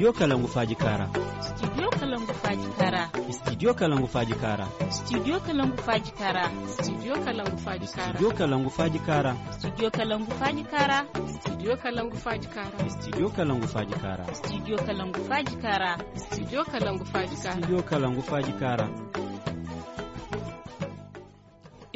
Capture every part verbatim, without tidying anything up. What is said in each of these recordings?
Studio Kalangu Faaji Kaara. Studio Kalangu Faaji Kaara. Studio Kalangu Faaji Kaara. Studio Kalangu Faaji Kaara. Studio Kalangu Faaji Kaara. Studio Kalangu Faaji Kaara. Studio Kalangu Faaji Kaara. Studio Kalangu Faaji Kaara. Studio Kalangu Faaji Kaara. Studio Kalangu Faaji Kaara. Studio Kalangu Faaji Kaara. Studio Kalangu Faaji Kaara.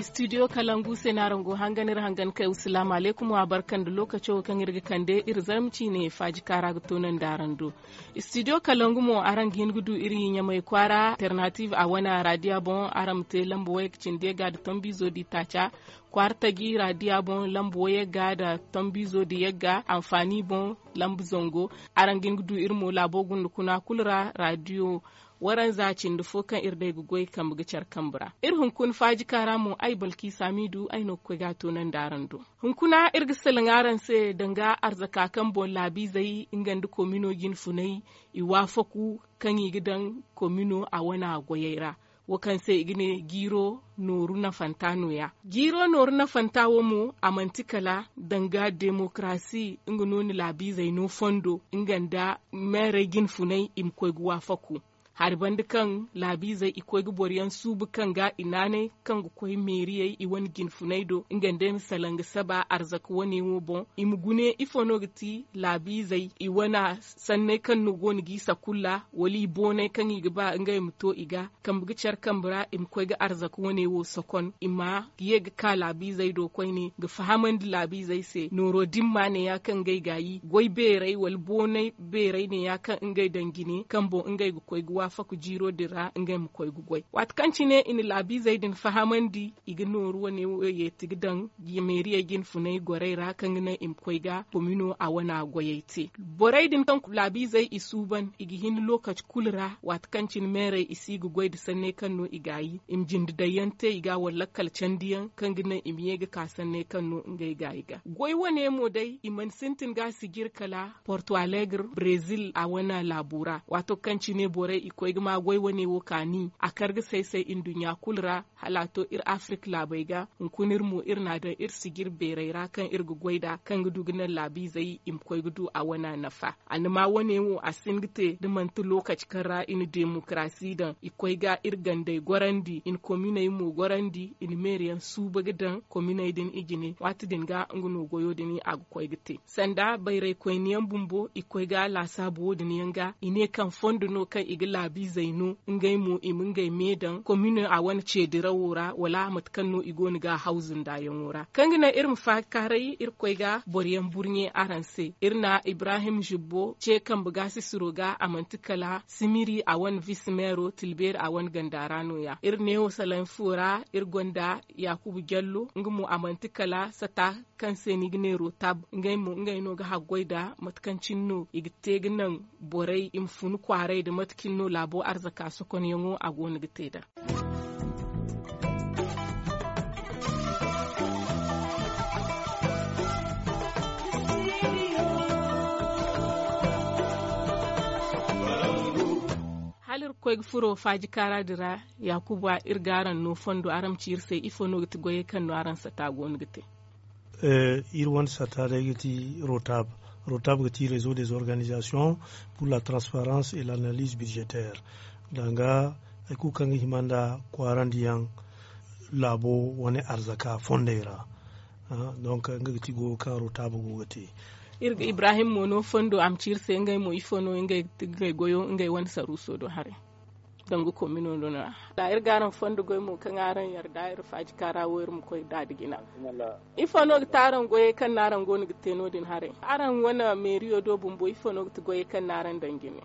Studio Kalangu se no araŋ go hangan iri hangan kay. Salaamu alaykum, wa barka nda lookaco kaŋ iri ga kande iri zarma ciine faaji kaara ga toonandi araŋ do. Studio Kalangu mo, araŋ ga hin ga du iri Ɲamay kwaara, Alternative a wane raadiya boŋ. Araŋ ma te lamba wayey ga cindi yagga nda tombiizo da itaaca. Kwaara taji raadiya boŋ, lamba wayey ga nda tombiizo da yagga, Anfaani boŋ, lamba zangu. Araŋ ga hin ga du iri mo laabo gunda kuna kulu ra, raadiyo waranza cindi fo kaŋ iri day ga goy kambe ga care kambe ra. Iri hunkuna faaji kaara mo, ay Balkiisa Miidu, ay no ga koy ga a toonandi araŋ do. Hunkuna iri ga salaŋ araŋ se danga arzaka kaŋ boŋ laabiizey nga nda komino jinfunay i waafaku kaŋ i ga daŋ komino a wana goyey ra, wo kaŋ se i ga ne jiiro nooru nafanta nooya. Jiiro nooru nafanta wo mo, a manti kala danga demokarasi nga no ni laabiizey no fondo nga nda meerey jinfunay i ma koy ga waafaku. Hari banda kaŋ laabiizey i koy ga boro yaŋ suubu kaŋ ga i naanay kaŋ ga koy meeriyey i wane jinfunay do nga nda ay ma salaŋ ga saba arzaka wane wo boŋ, i ma gune ifo no ga ti laabiizey i wana sanney kaŋ no go no g'i sakulla wala i boonay kaŋ i ga ba ngey ma to i ga kambe ga care kambe ra i ma koy ga arzaka wane wo sokon i ma ye ga ka laabiizey do koyne ga fahamandi laabiizey se nooro dimma neeya kaŋ ngey ga yi goy beerey wala boonay beerey neeya kaŋ ngey daŋ jine kaŋ boŋ ngey ga koy ga waafaku jiiro din ra ngey ma koy ga goy. Waati kaŋ cine i na laabiizey din fahamandi i ga nooru wane wo yeeti ga daŋ meeriyey jinfunay gorey ra kaŋ ga naŋ i ma koy ga komino a wana goyey te. Borey din kaŋ laabiizey i suuban i ga hin lookaci kulu ra waati kaŋ cine meerey i si ga goy nda sanney kaŋ no i gaayi i ma jinde daŋ yaŋ te i ga wala lakkal candiyaŋ kaŋ ga naŋ i ma ye ga ka sanney kaŋ no ngey gaayi ga goy wane mo day i mana sintin ga a sijir kala porto alegre brezil a wane laabo ra waato kaŋ cine borey i koy ga ma goy wane wo kaani a kar ga say-say nduɲɲa kulu ra. Hala a to iri afirika laabey ga hunkuna iri mo iri n'a daŋ iri sijir beerey ra kaŋ iri ga goy nd'a kaŋ ga du ga naŋ laabiizey i ma koy ga du a wana nafa. Annama wane wo a si hin ga te da manti lookaci kaŋ ra i na demokarasi daŋ i koy ga iri gandey gorandi i na kominey mo gorandi i na meeri yaŋ suuba ga daŋ kominey din i jine waati din ga nga no goyo din a ga koy ga te sanda bayraykoyne yaŋ bumbo i koy ga laasaabu wo- din yaŋ ga i ne kaŋ fondo no kaŋ i ga laabiizey no ngey mo i ma ngey me daŋ komino a wane ceedirawo ra wala mate kaŋ no i go no ga hawzu ndaayaŋo ra kaŋ ga naŋ iri ma faakaaray iri koy ga boro yaŋ burɲe araŋ se iri na ibrahim zibbo ce kambe ga sisiro ga a manti kala simiri a wane visi meero tilbeeri a wane ganda ra nooya iri neewo salaŋ fo ra iri gonda yaakuba jallo nga mo a manti kala sata kaŋ se no i ga ne rotab ngey mo ngey no ga haggoy nd'a mate kaŋ cine no i ga te ga naŋ borey i ma fun kwaaray nda mate cine no laabo arzaka sokonyaŋo a go no ga te nd'a. Hala iri ga koy ga furo faaji kaara din ra, yaakuba iri ga araŋ no fondo araŋ ma ci iri se ifo no ga ti goyey kaŋ no araŋ sata go no ga te? Iri wane sata day ga ti rotab. Rotab ga ti réseau des organisations pour la transparence et l'analyse budgétaire. Danga hari kulu kaŋ ga hima nda kwaarandiyaŋ laabo wane arzaka fondey ra. Donc nga ga ti goyo kaŋ rotab go ga te. Iri ga ibrahim mo no fondo a ma ci iri se ngey mo ifo no ngey goyo ngey wane saruuso do haray. Danga komino no no ra iri ga araŋ fondo goy mo kaŋ araŋ yarda iri faaji kaara wo iri ma koy daada jina. Ifo no ga ti araŋ goyey kaŋ no araŋ go no ga te no- din haray? Araŋ wane meeriyo do bumbo ifo no ga ti goyey kaŋ no araŋ daŋ jine?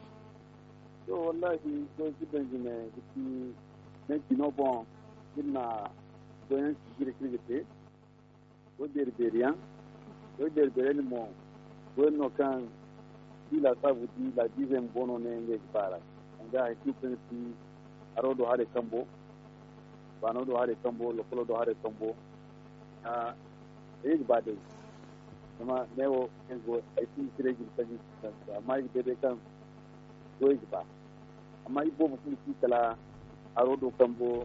To wallahi, goy ga daŋ jine ga ti ne jino boŋ iri na goyaŋ sijiri kaŋ iri ga te. Goy beeri beeri yaŋ. Goy beeri beeri yaŋ din mo goy no kaŋ di laasaabu di laabiizey bumbo no ne ngey ga ba ra. Danga hari kulu kaŋ ga ti haro do haray kambo, baano do haray kambo, lokolo do haray kambo. Ay ga ba day zama ne wo kaŋ go ay si ga ci day jine kaŋ ga ci kaŋ ga amma ay ga bay day kaŋ goy ga ba. Amma iboobo kulu si kala haro do kambo,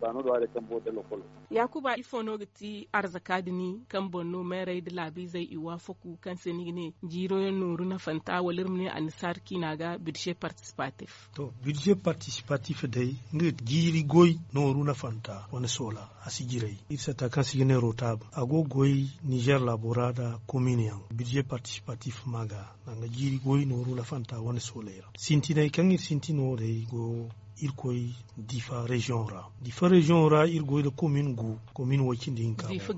baano do haray kambo nda lokolo. Yaakuba, ifo no ga ti arzaka din kaŋ boŋ no meerey nda laabiizey i waafaku kaŋ se ni ga ne jiiro yaŋ nooru nafanta wala iri ma ne annisaari ciina ga bidze partisipatif? To, bidze partisipatif day, nga ga ti jiiri goy nooru nafanta wane soola a si jiray. Iri satta kaŋ se i ga ne rotaab a go ga goy nizer laabo ra nda komin yaŋ. Bidze partisipatif ma ga danga jiiri goy nooru nafanta wane soolay ra. Sintinay kaŋ iri sintin wo day go iri koy difa reziyoŋ ra. Difa reziyoŋ ra iri goy nda komin gu, komin way cindi hinka. Difa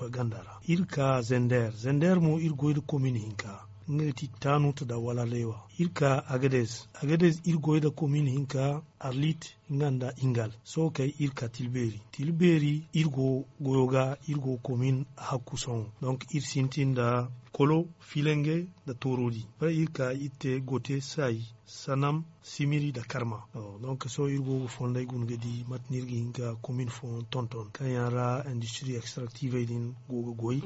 ganda ra. Iri ka zender, zender mo iri goy nda komin hinka, nga ga ti tanuta nda wala leewa. Iri ka agadez, agadez iri goy nda komin hinka, arlit nga nda ingal. Sohõ kay iri ka tilbeeri, tilbeeri iri go goyo ga, iri go komin hakku sohõ. Donk iri sintin nda kolo, filange nda toorodi. Ba iri ka iri te gote, saayi, sanam, simiri nda karma. Donk sohõ iri go ga fonday guna ga di mate no iri ga hin ga komin fooyaŋ tonton kaŋ yaŋ ra industiri ekstraktivey din go ga goy.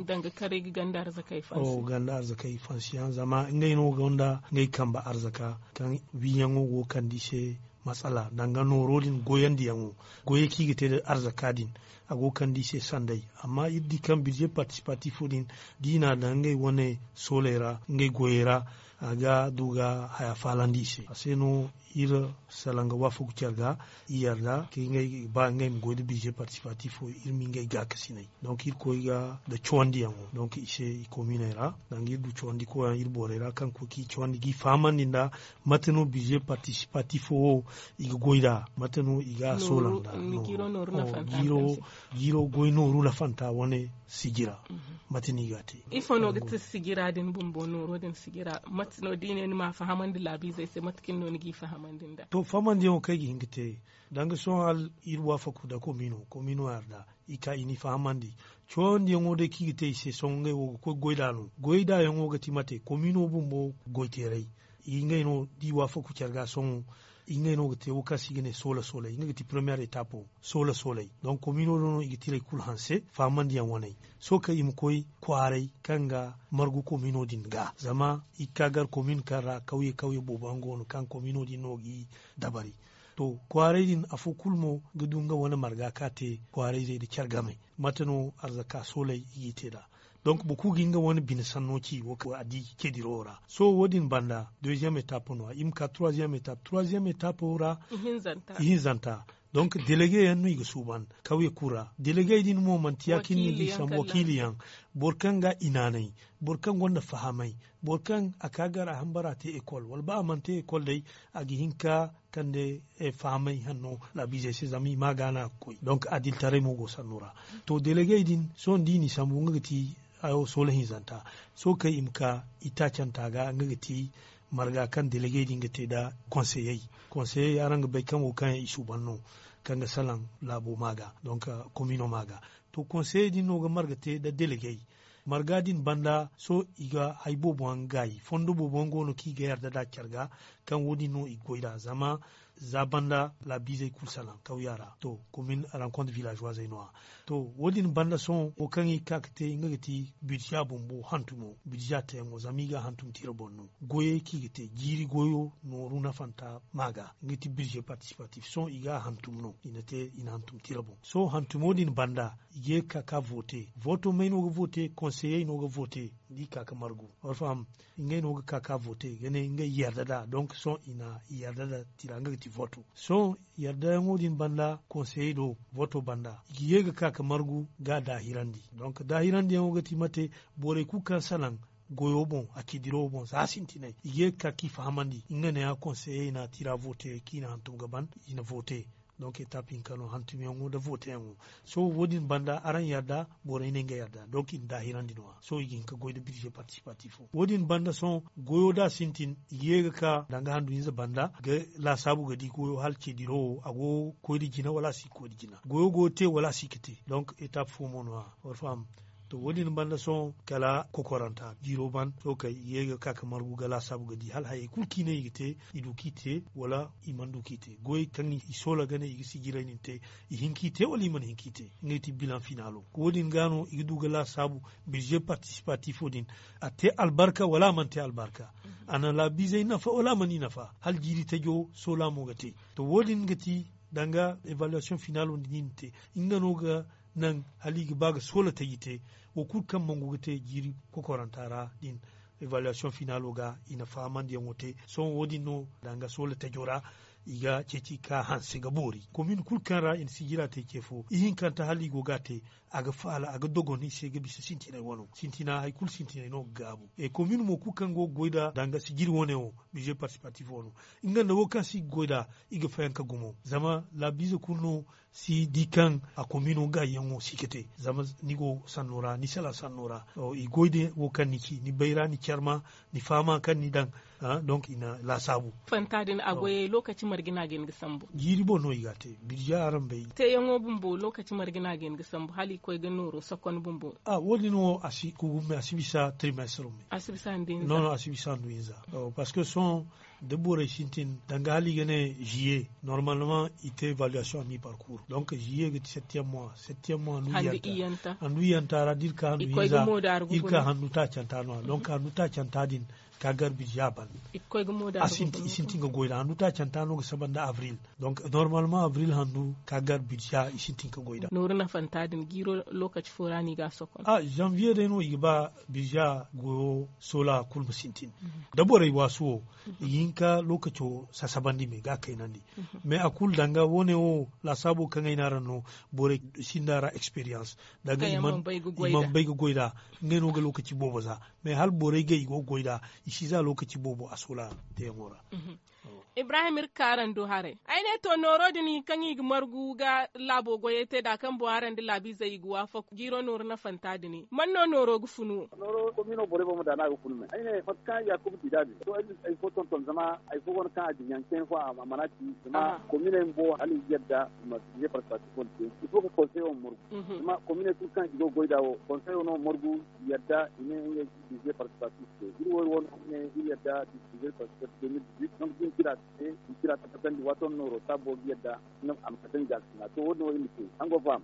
Ganda arzakey fansi yaŋ zama ngey no gonda ngey kambe arzaka kaŋ wiiyaŋo go ga kande i se. Matsala danga nooro din goyandi yaŋo, goyey kaŋ i ga te nda arzaka din, a go ga kande i se sanday. Amma iri di kaŋ birze partisipatifo din da i n'a daŋ ngey wane sooley ra ngey goyey ra, a ga du ga haya faalandi i se. A se no iri salaŋ ga waafaku care ga, i yarda kaŋ ngey ga ba ngey ma goy nda birze partisipatifo, iri ma ngey gaakasinay. Donk iri koy ga nda cawandiyaŋo donk i se i kominey ra, danga iri du cawandi koyaŋ iri borey ra kaŋ ga koy kaŋ i cawandi ga i fahamandi nda mate no birze partisipatifo wo i ga goy nd'a, mate no i ga a soola nd'a. Jiiro goy nooru nafanta wane sijira. Mate no i ga a te? Ifo no ga ti sijira din bumbo nooro din sijira? Mate no da i ne ni m'a fahamandi laabiizey se mate cine no ni g'i fahamandi nd'a? To fahamandiyaŋo kaŋ ay ga hin ga te, danga sohõ hala iri waafaku nda komino komino yarda, i ka i n'i fahamandi. Cawandiyaŋo day kaŋ i ga te i se sohõ ngey wo ga koy goy nd'a no. Goy nd'a yaŋo ga ti mate komino bumbo goyteeray. Ngey no da i waafaku care ga sohõ, ngey no ga te wo kaŋ se i ga ne soola soolay nga ga ti premiyer etapo. Soola soolay donk komino do no i ga tiray kulu hanse fahamandiyaŋ waney. Sohõ kaŋ i ma koy kwaaray kaŋ ga margu komino din ga zama i ga ka gar komin kaŋ ra kawye kawye boobo yaŋ go no kaŋ komino din no g'i dabari. To kwaaray din afo kulu mo ga du nga wane marga kaŋ a te kwaarayzey nda care game. Mate no arzaka soolay i g'i te nd'a? Donk boro kulu ga nga wane bine sanno ci wo kaŋ a di cediro ra. Sohõ wo- din banda deuxième etape no- ya i ma ka troisième etape troisième etape ra. Ihinzanta. Donk delege yaŋ no i ga suuban kawye kulu ra. Delege din mo manti ya- cine no i ga i sambu wakiili yaŋ. Boro kaŋ ga i naanay, boro kaŋ gonda fahamay, boro kaŋ a ka gar a hambara te ekol wala ba a mana te ekol day, a ga hin ka kande fahamay hanno laabiizey se zama i ma a gaana ga koy donk adiltaray mo go sanno ra. To delegey din sohõ da i n'i sambu nga ga ti soola hinzanta. Sohõ kaŋ i ma ka itaacanta ga nga ga ti marga kaŋ delegey din ga te nda konseyey. Konseyey araŋ ga bay kaŋ wo kaŋ yaŋ i suuban no kaŋ ga salaŋ laabo ma ga donk komino ma ga. To konseyey din no ga marga te nda delegey. Marga din banda sohõ i ga hari boobo yaŋ gaayi fondo boobo yaŋ go no kaŋ i ga yarda nd'a care ga. Kaŋ wo- din no i ga goy nd'a zama za banda laabiizey kulu salaŋ kawya ra to komin rankont villageoisey no- ya. To wo- din banda sohõ wo kaŋ i ga ka ga te nga ga ti bidza bumbo hantumo bidza teyaŋo zama i ga a hantum tira boŋ no. Goyey kaŋ i ga te jiiri goyo nooru nafanta ma ga nga ti birze partisipatif sohõ i ga a hantum no i na te i na hantum tira boŋ sohõ hantumo din banda. I ga ye ga ka ga vote voto may no ga vote konseyey no ga vote. Da i ka ga margu war faham. Ngey no ga ka ga vote ga ne ngey yarda nd'a donk sohõ i na yarda nda tira nga ga ti voto. Sohõ yardayaŋo din banda konseyey do voto banda i ga ye ga ka ga margu ga daahirandi donk daahirandiyaŋo ga ti mate borey kulu kaŋ salaŋ goyo boŋ a cediro boŋ za sintinay i ga ye ga ka ga i fahamandi nga ne ya konseyey na tira vote kaŋ i na hantum ga ban. I na vote. Donk etape hinka no hantumyaŋo nda voteyaŋo. Sohõ wo- din banda araŋ yarda borey ne nga yarda donk i na daahirandi no- ya sohõ i ga hin ga goy nda birze partisipatifo wo- din banda sohõ goyo da a sintin i ga ye ga ka danga handu hinza banda ga laasaabu ga di goyo hala cediro wo a go ga koy nda jina wala a si ga koy nda jina goyo go ga te wala a si ga te. Donk etape fo mo no- ya war faham. To wo- din banda sohõ kala kokoranta jiiro ban sohõ kay i ga ye ga ka ga margu ga laasaabu ga di hala hayey kulu kaŋ i ne i ga te i du kaŋ i te wala i mana du kaŋ i te goyey kaŋ i soola ga ne i ga sijiray din te. I hin kaŋ i te wala i mana hin kaŋ i te ngey ti bilaŋ finaalo wo- din ga no i ga du ga laasaabu. Birze partisipatifo din a te albarka wala a mana te albarka? A na laabiizey nafa wala a mana i nafa hala jiiri tajo soola mo ga te. To wo- din ga ti danga evaluation finaalo din i na te. Nga no ga naŋ hala i ga ba ga soola taji te. Wo kulu kaŋ mangu ga te jiiri kokoranta ra din, evaluation finaalo ga i na fahamandiyaŋo te. Sohõ wo- din no danga soola tajo ra i ga ceeci ka hanse ga boori komin kulu kaŋ ra i na sijira te ce fo ihinkanta hala i go ga a te. A ga faala a ga dogon i se ga bisa sintinay wano sintina hari kulu sintinay no ga gaabu. Komin mo kulu kaŋ go ga goy nd'a danga sijiri wane wo, bize partisipatif wano, nga nda wo kaŋ si ga goy nd'a, i ga fayanka gumo zama laabiize kulu no si di kaŋ a komino gaayyaŋo si ga te. Zama ni go sanno ra ni sala sanno ra, i goy da wo kaŋ ni ci ni bayra ni care ma, ni faama kaŋ ni daŋ. Donk i na laasaabu. Fanta din a goyey lookaci marga no a ga hin ga sambu? Jiiri boŋ no i ga a te. Birja araŋ bay. Teeyaŋo bumbo lookaci marga no a ga hin ga sambu hala i koy ga nooro sokon bumbo? A wo- din wo a si kugu me a si bisa trimestre me. A si bisa handu hinza. Parceque sohõ da borey sintin danga hala i ga ne ziye normalement i te evaluation a mi parcours donc ziye ga ti septième mois septième mois handu iyanta ra da iri ka handu hinza iri ka handu taacanta no- ya donc handu taacanta din ka gar birja ban. I sintin ga goy da handu taacanta no ga saba nda avril. Donc normalement avril handu ka gar birja i sintin ga goy da. Nooru nafanta din jiiro lookaci fo ra no i ga a sokon? A janvier day no i ga ba birja goyo soola kulu ma sintin. Da borey waasu wo i ga hin ka lookaco sasabandi me ga a kaynandi. Mais a kulu danga wo- ne wo laasaabo kaŋ ay ne araŋ no borey sinda ra experience danga i mana bay ga goy nd'a. Ngey no ga lookaci boobo za. Mais hala borey ga i go ga goy nd'a i si za lookaci boobo a soola teeyaŋo ra. Ibrahim iri ga ka araŋ do haray ay ne to nooro din kaŋ i ga margu ga laabo goyey te nd'a kaŋ boŋ araŋ nda laabiizey i ga waafaku jiiro nooru nafanta din man no nooro ga funu wo? Nooro komiino borey boŋ ma daana ga funu me ay ne mate kaŋ yaakuba ti nd'a din to ay fo tonton zama hari fo go no kaŋ a din yaŋ cine fo a mana ci zama komiiney bumbo hala i ga yadda i ma bize partisipatif wane te. Il faut ga konseyo ma margu zama komiiney kulu kaŋ i go ga goy nd'a wo konseyo no margu i yadda i ne ngey ga bize partisipatif te iri wo iri wo no i ne iri yadda bize partisipatif deux mille dix-huit donc da i na tira te i na tira tabbatandi waato no nooro taabo ga yadda a ma kate nga ga sina to wo- din wo iri ma te araŋ go ga faham?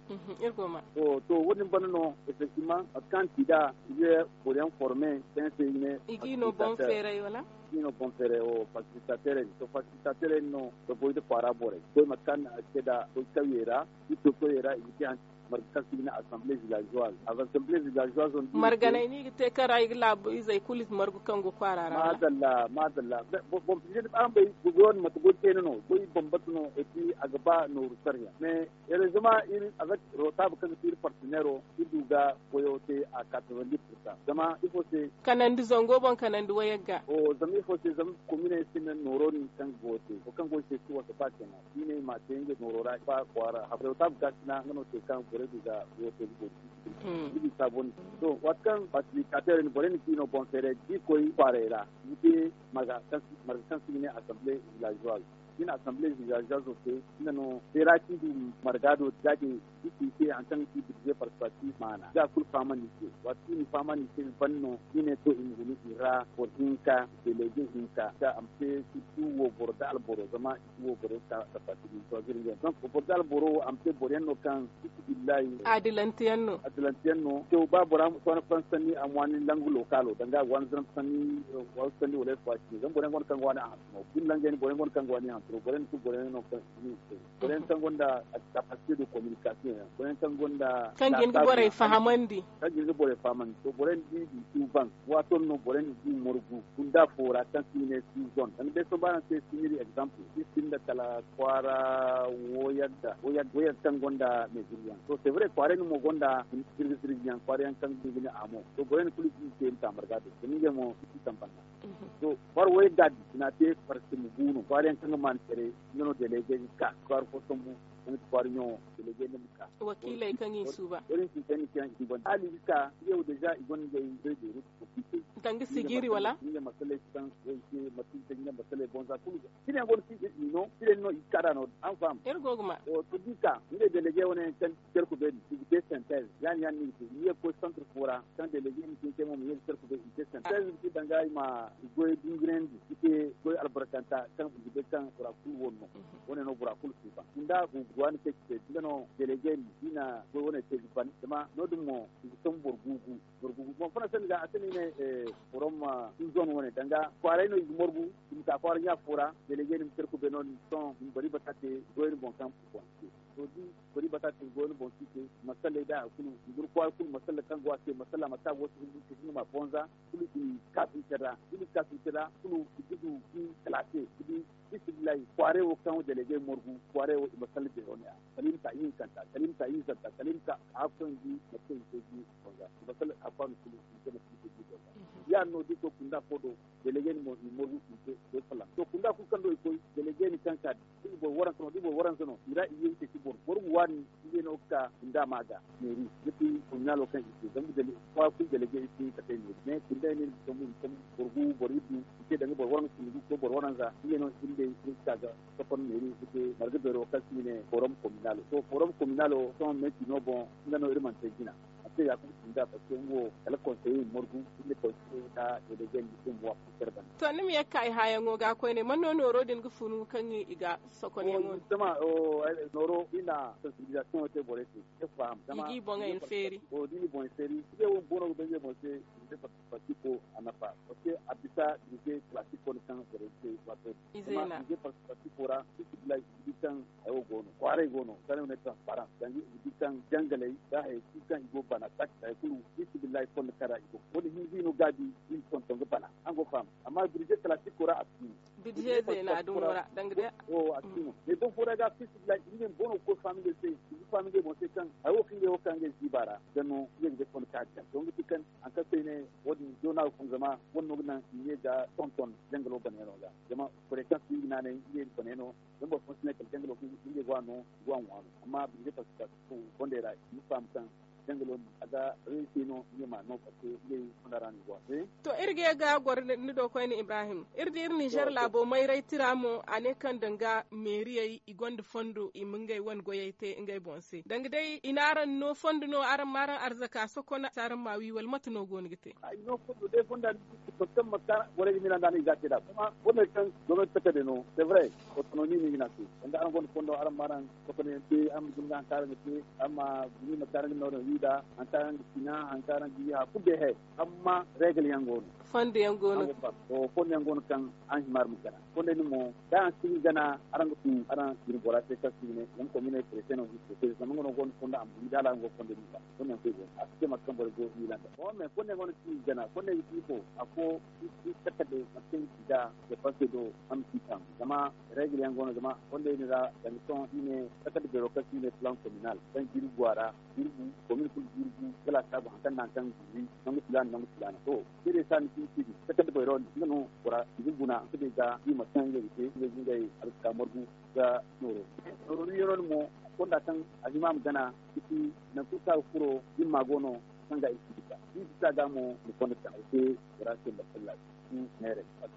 To wo- din banda no effectivement mate kaŋ a ci nd'a i ga boro yaŋ forme kaŋ yaŋ se i ne i ga i no boŋ feeray wala i ga i no boŋ feeray wo fasilitateerey din to fasilitateerey din no ga goy nda kwaara borey ga goy mate kaŋ a ci te nd'a goy kawyey ra iri to kawyey ra i ga te hanse marga kaŋ se i ga ne assemblée villageoise assemblée villageoise wo- din marganey no i ga te kaŋ ra i ga laabu izey kulu margu kaŋ go kwaara ra madalla madalla boŋ fizey din araŋ bay goy wo- din mate goy teene no goy bambata no et puis a ga ba nooru sariya mais heureusement iri avec rootaabu kaŋ ga ti iri partenairo iri du ga goyo te à quatre-vingt-dix pour cent zama ifo se kanandi zango boŋ kanandi wayagga zama ifo se zama kominey sinda nooro din kaŋ ga goyo te wo kaŋ go i se si wasa ba cina i ne i ma te ngey nooro ra ba kwaara rootaabu ga sina nga no te kaŋ borey du ga goyo te ga goyo te iri saabo ni to waati kaŋ fasilitateerey ni borey na ci no boŋ feerey da i koy kwaarey ra ni te marga kaŋ se i ga ne assemblée villageoise da i na assemblée villageoise te nga no feera kaŋ i du marga do za din i ci i se hari kaŋ ga ci birze participatif maana da a kulu fahamandi i se waati kaŋ i na i fahamandi i se i ban no i ne to i ma guna i ra boro hinka délégué hinka da a ma te surtout wo boro da alboro zama i si wo boro ka participatif choisir ngey donc boro da alboro wo a ma te boro yaŋ no kaŋ fisibillahi adilante yaŋ no adilante yaŋ no to ba bora ma sohõ faransa sanni a ma waani langu lokaalo danga a ga waani zama sanni wasu sanni wala ay fawaati zama boro yaŋ gonda kaŋ ga waani a hantumo boro yaŋ gonda kaŋ ga waani hantumo boro yaŋ da kulu boro yaŋ no kaŋ si ni se boro yaŋ kaŋ gonda capacité de communication yaŋ boro yaŋ kaŋ gonda kaŋ ga hin ga borey fahamandi kaŋ ga hin ga borey fahamandi to boro yaŋ di du suuban waato no boro yaŋ di morgu kunda fo ra kaŋ se i ne season zama day sohõ ba araŋ se siniri exemple i sinda kala kwaara wooyagga wooyagga kaŋ gonda meetiryaŋ to c'est vrai kwaaray no mo gonda zirga zirga yaŋ kwaara yaŋ kaŋ ga hin ga ne a mo to boro yaŋ kulu ga i te nta marga do zama ngey mo i si sambanda to kwaara wooyagga din i na a te farsi ma bu no kwaara yaŋ kaŋ ga maana care nga no délégué ga ka kwaara fo sambu nga ti kwaara ɲaŋo délégué no ma ka wakiiley kaŋ i suuba iri ma sintin ni kaŋ i suuba hala i ga ka ngey wo déjà i gonda ngey zay beeru danga sijiri wala nga masaley kaŋ way se mate kaŋ nga masaley boŋ za kulu ga cine yaŋ go no kaŋ i no cine no i ga ka da no araŋ faham iri go ga ma to da i ka ngey délégué wane yaŋ kaŋ care ku beeri i ga te synthèse ya- din ya- din no i ga te i ye ga koy centre fo ra kaŋ délégué ma cine care mo ma ye ga care ku beeri i ga te synthèse ga te danga i ma i goy dungurandi i te goy albarkanta kaŋ i ga bay kaŋ bora kulu wane no wane no bora kulu suufa nda waani kaŋ ci te nga no delegey no i na goy wane te ga ban zama no- din mo i ga ton boro guugu. Boro guugu boŋ funa se ni ga a se no i ne forom, zone wane danga kwaaray no i ga morgu i ma ka kwaara ɲa fo ra. Delegey no i ma care kube no- din sohõ i ma bari bata te goy ni boŋ kaŋ boŋ ci te. To da i bari bata te goy ni boŋ ci te, masalley da hari kulu i guna kwaara kulu masalla kaŋ go a se masalla mata go se hindu te hindu ma bonza kulu i kaasince ra. Da i kaasince ra kulu i ga du i kalase ga di. Fisibillahi kwaaray wo kaŋ delegey morgu kwaaray wo i ma salla beero ne a kala i ma ka i hinkanta kala i ma ka i zanta kala i ma ka a hakkoy ndi mate kaŋ i te gi fonda i ma salla a kwaano kulu i ma te mate kaŋ i te gi fonda. Ya- din no da i koy kunda fo do delegey ni mo i morgu i ma te goy folloŋ to kunda kulu kaŋ do i koy delegey ni kaŋ ka da i boro waransa no da i boro waransa no i ra i ye i ceeci boro boro ga waani. Ngey no ga ka kunda ma ga meeri ga ti kominalo kaŋ i te zama kwaara kulu delegey i si hin ka te meeri mais kunda i ne i ma sambu i ma sambu boro gu boro iddu i te danga boro waransa kunda gu koy boro waransa ngey no i si hin day i ma ka ga sokon meeri ga te marga beero kaŋ se i ne forom kominalo to forom kominalo sohõ meeti no boŋ nga no iri mana te jina. A te ya kulu kunda parce que nga wo kala konseye i ma margu iri ne konseye da delegey ni te mo a kulu care banda. To ni ma ye ga ka i haayaŋo ga koyne man no nooro din ga funu kaŋ i ga sokonyaŋo no. Zama nooro i na sensibilisation te borey se i ga faham zama i ga i boŋey feeri. O da i na i boŋey feeri i ga wo boono ga bay i ga boŋ se. Participo a nafa parce que a bisa dirije classico no kaŋ borey ga te waato din zama dirije participo ra fisibillahi i ga di kaŋ hayo go no kwaaray go no kaŋ i ga ne transparent danga i ga di kaŋ jangaley da hayey kulu kaŋ i go bana tak hay kulu fisibillahi fondo kaŋ ra i go fondo hinza i no gaabi i ma tonton ga bana. Araŋ go ga faham amma dirije classico ra a si no. Dirije zeena dumo ra danga day. A si no mais don fo ra ga fisibillahi ngey boono ga koy fahamingey se i ga fahamingey boŋ se kaŋ hayo kaŋ ngey wo kaŋ ngey ziiba ra ga no ngey ga day fondo kaŋ a ga daŋ to nga ti kaŋ haŋ kaŋ se i ne wo- din doona ga fun zama wane no ga naŋ i ne ga tonton jangalo banayaŋo ga zama borey kaŋ si i ga naanay ngey banayaŋo zama boro fooyaŋ si ne kala jangalo kaŋ ngey go a no i go a ŋwa no amma binde participation fondey ra i ma faham kaŋ jangalo din a ga reesi no ngey ma no parce que ngey fonda ra no i go a. To iri ga ye ga goro ni do koyne ibrahim iri di iri nizer laabo mayray tira mo a ne kaŋ danga meeriyey i gonda fondo i ma ngey wane goyey te ngey boŋ se danga day i na araŋ no fondo no araŋ ma araŋ arzaka sokona si araŋ ma wi wala mate no go no ga te? Ay no fondo day fonda ni di fondo kaŋ ma ka borey ga mina nda no i ga a te nd'a kuma borey kaŋ gomnati takade no c'est vrai. Autonomie no i ga ne a se danga araŋ gonda fondo araŋ ma araŋ sokona yaŋ te araŋ ma guna ga haŋ kaŋ araŋ ga te araŋ ma guna ma kaŋ araŋ ga nooru wi nd'a haŋ kaŋ araŋ ga sina haŋ kaŋ araŋ ga wi hari kulu day he. Amma regle yaŋ go no. Fondo yaŋ go no. Fondo yaŋ go no kaŋ araŋ hima araŋ ma gana fondey din mo da araŋ si ga gana araŋ ga tun araŋ jine bora se kaŋ si ga ne zama kominey prese no ga i prese zama nga no gonda fondo a ma guna da hala araŋ go ga fondey din ba. Fondey yaŋ kulu go no a si te mate kaŋ borey go ga miila nd'a. Bon mais fondey yaŋ go no kaŋ i ga gana fondey ga ci ifo afo i si takadde mate kaŋ i ga ci nd'a. Depanse do araŋ ma ci taamu zama regle yaŋ go no zama fondey din ra danga sohõ i ne takadde beero kaŋ se i ne plan kominal kaŋ jirbi go a ra jirbi komin kulu jirbi ga laasaabu haŋ kaŋ nda haŋ kaŋ ga gurri nangu filaana nangu filaana to. Seedey se a ma ci i se din takadde beero nga no bora i ga guna nga day ga i mate kaŋ ngey ga te ngey ga ngey arzaka margu ga nooro. Nooro wiiyano din mo fonda kaŋ a hima a ma gana i si nangu kulu kaŋ a ga furo himma go no kaŋ ga i si bisa da i bisa ga mo i ma fonda taŋ ga te bora se masallaaci. Neerey a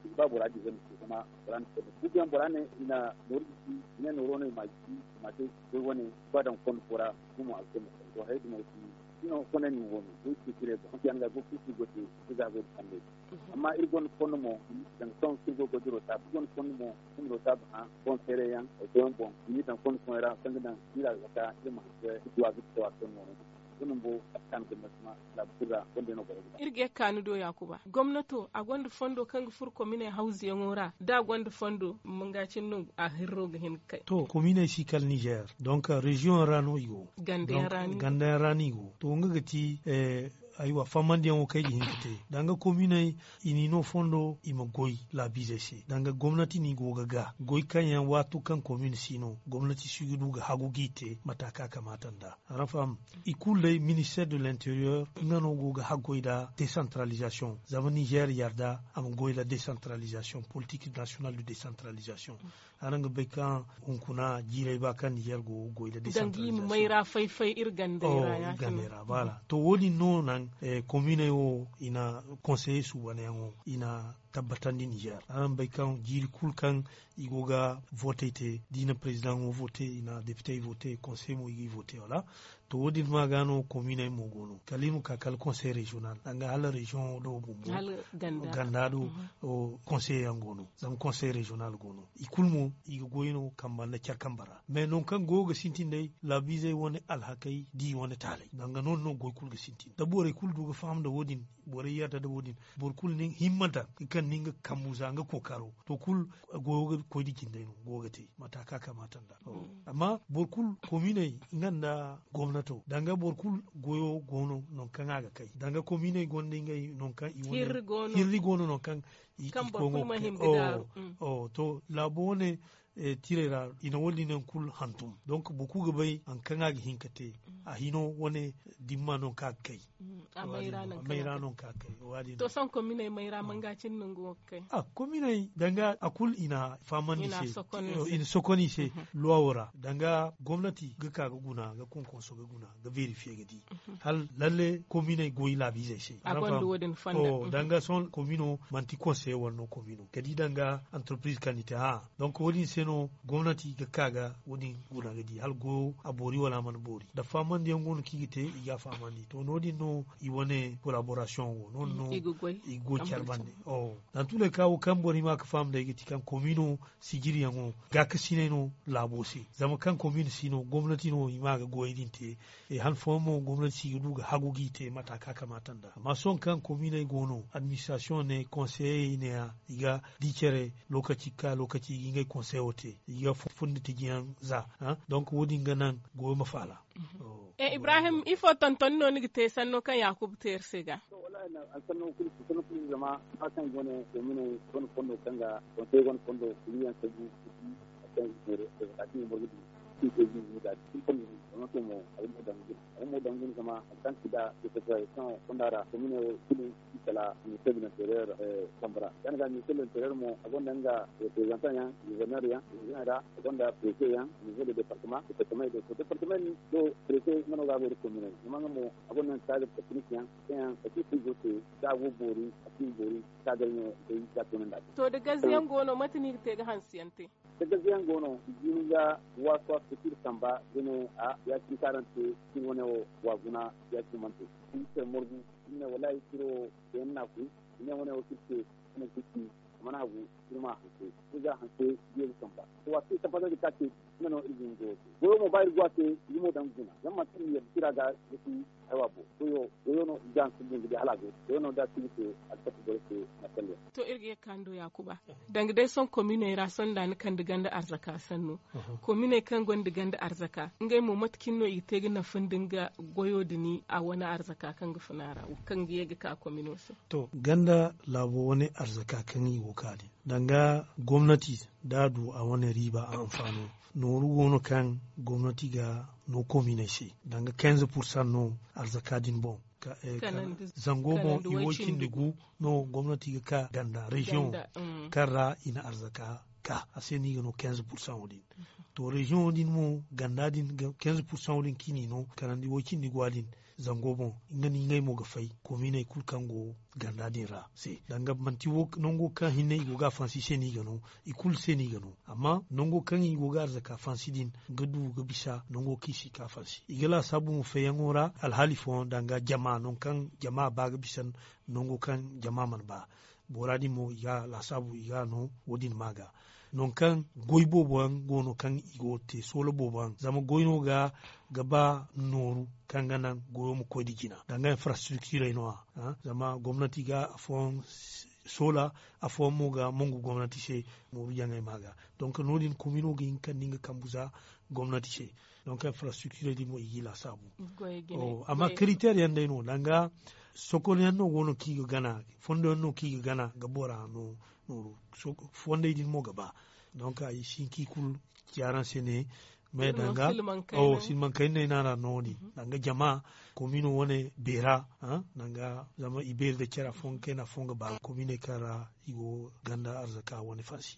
si ba bora diize ma te zama bora na fonda guuguyaŋ bora ne i na nooru gisi i ne nooro no i ma a gisi i ma a te goy wane ba daŋ fondo fo ra gumo a ga te masallaaci to hayey din mo ga ti. Sino fondey din wo no goy si kire boŋ hanse yaŋ ga go kulu si go te. Ga goy da fondey din amma iri gonda fondo mo danga sohõ kaŋ iri go ga goy da rotaabu iri gonda fondo mo iri ma rotaabu hã boŋ feeray yaŋ ay koy yaŋ boŋ i m'i daŋ fondo fooyaŋ ra kaŋ ga daŋ iri arzaka iri ma hanse iri duwa ga ci tawa fondo mo no. Nga bumbo a ga kaanu ga masma laabu kulu ra fondey no borey ga ba. Iri ga ye ga kaanu do yaakuba gomnato a gonda fondo kaŋ ga furo kominey hawzuyaŋo ra da a gonda fondo manga cine no a hirro ga hin ga kay. To kominey si kala nizer donk reziyoŋ ra no i go. Ganda yaŋ ra no i go. To nga ga ti aywa fahamandiyaŋo kaŋ ay ga hin ga te danga kominey i n'i no fondo i ma goy laabiizey se danga gomnati no i go ga ga goy kaŋ yaŋ waato kaŋ komin si no gomnati si ga du ga hagu g'i te mata kaŋ a kamaata nd'a. Araŋ faham? I kulu day minister de l'interieur nga no go ga haggoy nda desantaralizasiyoŋ zama nizer yarda a ma goy nda desantaralizasiyoŋ politik national de desantaralizasiyoŋ. Araŋ ga bay kaŋ hunkuna jiiray ba kaŋ nizer go ga goy nda desantaralizasiyoŋ. Mayra fay-fay iri gandey ra ya- cine. To wo- din no naŋ kominey wo i na konseye suubanyaŋo i na tabbatandi nizer. Araŋ bay kaŋ jiiri kulu kaŋ i go ga vootey te da i na perezidaŋo voote, i na depitey voote, konsey mo i g'i voote wala. To wo- din ma ga no kominey mo go no kala i ma ka kala konsey reziyonal danga hala reziyoŋo do bumbo ganda do. Konsey yaŋ go no zama konsey reziyonal go no i kulu mo i ga goy no kamba nda care kamba ra. Mais nangu kaŋ goyo ga sintin day laabiizey wane alhakey da i wane taaley danga no- din no goy kulu ga sintin da borey kulu du ga faham nda wo- din. Borey yarda nda wo- din boro kulu nin himma daŋ ga kaŋ nin ga kambu za nga kookaro to kulu goyo ga koy nda jinday no go ga te mata kaŋ a kamaata nda. Amma boro kulu kominey nga nda gomnato danga boro kulu goyo go no nangu kaŋ a ga kay danga kominey gonda ngey nangu kaŋ i wane hirri go no nangu kaŋ i koy ga kay. To laabo wane tirey ra i na wo- din yaŋ kulu hantum. Donk boro kulu ga bay hari kaŋ a ga hin ga te a hino wane dimma nangu kaŋ a ga kay. Mayra no ka kay. To sohõ kominey mayra manga cine nangu wo ga kay. Kominey danga a kulu i na fahamandi i se i na sokon i se luwawo ra danga gomnati ga ka ga guna ga konkonso ga guna ga verifiye ga di hala lalle kominey goy laabiizey se. Danga sohõ komino manti konseye wala no komino ga di danga antarpiriz kaŋ ni te hã. Donk wo- din se no gomnati ga ka ga wo- din guna ga di hala goyo a boori wala a mana boori da fahamandi yaŋ go no kaŋ i ga te i ga a fahamandi to no- din no i wane kolaborasiyoŋ wo no- din no i ga goy care bande. Nangu tuley kaŋ wo kaŋ boro hima ga faham day ga ti kaŋ komino sijiriyaŋo gaakasinay no laabo se zama kaŋ komin si no gomnati no i ma ga goyey din te. Han fooyaŋ mo gomnati si ga du ga hagu g'i te mata kaŋ a kamaata nda amma sohõ kaŋ kominey go no administrasiyoŋ ne konseyey ne- ya i ga di care lokaci ga ka lokaci i ga ngey konseyo te i ga fundi tijiyaŋ za. Donk wo- din ga naŋ goyo ma faala. Ibrahim ifo tonton no ni ga te sanno kaŋ yaakuba te iri se ga? Sanno kulu zama ba kaŋ go ne domine wane fondo kaŋ ga konsey wane fondo kulu yaŋ sabu. Kaŋ i feere da ka kaŋ i morgu din. Kaŋ i te jin jin ga din kaŋ i zama to mo a ga mo daŋ guna a ga mo daŋ guna zama hari kaŋ ti da i ka soy kaŋ fonda ra domine wo kulu i kala minister de l'interieur. Kambara yaŋ ga minister de l'interieur mo a gonda nga representant yaŋ gouverneur yaŋ region ra a gonda préfet yaŋ niveau de département département do préfet nga no ga go da commune zama nga mo a gonda nga cadre technique yaŋ kaŋ yaŋ ka ci kulu go te da a go boori a ci boori cadre no day ga toonandi a se. To da gaze yaŋ go no mate no i ga te ga hanse yaŋ te? Da gaze yaŋ go no i jin ga waasu waasu ka ci iri samba da ne a ya- cine kaŋ araŋ te cine wane wo wa guna ya- cine mana te. Iri care morgu iri ne wallaahi ciro yaŋ na a koy. I ne wane wo kaŋ iri te wane kaŋ ci a mana hagu. Iri ma hanse iri ga hanse biya ga samba. To waasu kaŋ i tabbatandi ka ce nga no iri ga nga goyo te goyo mo ba iri go a se iri mo daŋ guna zama manti iri ma yadda cira ga ga ci haywa boŋ. Goyo goyo no i ga hanse din ga di hala a go goyo no da a si ga te alkati borey se. Marsalyaŋ. To iri ga ye ga ka ni do yaakuba danga day sohõ kominey ra sohõ da ni kande ganda arzaka sanno. Kominey kaŋ gonda ganda arzaka ngey mo mate cine no i ga te ga nafa nda nga goyo din a wane arzaka kaŋ ga fun a ra kaŋ ga ye ga ka komino se? To ganda laabo wane arzaka kaŋ i go ga ka din danga gomnati da a du a wane riiba a hanfaano nooru go no kaŋ gomnati ga no kominey se danga kenze pursan no arzaka din boŋ. Zango boŋ i woy cindi gu no gomnati ga ka ganda reziyoŋ kaŋ ra i na arzaka ka a se no i ga no kenze pursan wo- din. To reziyoŋo din mo ganda din kenze pursan wo- din kaŋ i n'i no kanandi woy cindi gu a din zango boŋ nga no ngey mo ga fay kominey kulu kaŋ go ganda din ra se danga manti nango kaŋ hinne i go ga a fansi se no i ga no. I kulu se no i ga no amma nango kaŋ i go ga arzaka fansi din ga du ga bisa nango kaŋ i si ka fansi i ga laasaabu mo feeyaŋo ra alhaali fooyaŋ danga jama nangu kaŋ jama ba ga bisa nango kaŋ jama mana ba. Bora din mo i ga laasaabu i ga no wo- din ma ga nangu kaŋ goy boobo yaŋ go no kaŋ i go ga te soola boobo yaŋ zama goy no ga ga ba nooru kaŋ ga naŋ goyo ma koy nda jina danga infrastriktirey no- ya zama gomnati ga afooyaŋ soola afooyaŋ mo ga mongu gomnati se. Nooru jaŋey ma ga donk no- din komino ga hin ga kande nga kambu za gomnati se. Donk infrastriktirey din mo i g'i laasaabu. Amma kariter yaŋ day no danga sokon yaŋ no go no kaŋ i ga gana fondo yaŋ no kaŋ i ga gana ga bora no nooru fondey din mo ga ba. Donk ay si hin kaŋ i kulu ci araŋ se ne mais danga silmankayna ay no- din danga jama komino wane beera danga zama i beeri nda care afooyaŋ ga kayna afooyaŋ ga ba kominey kaŋ ra i go ganda arzaka wane fansi.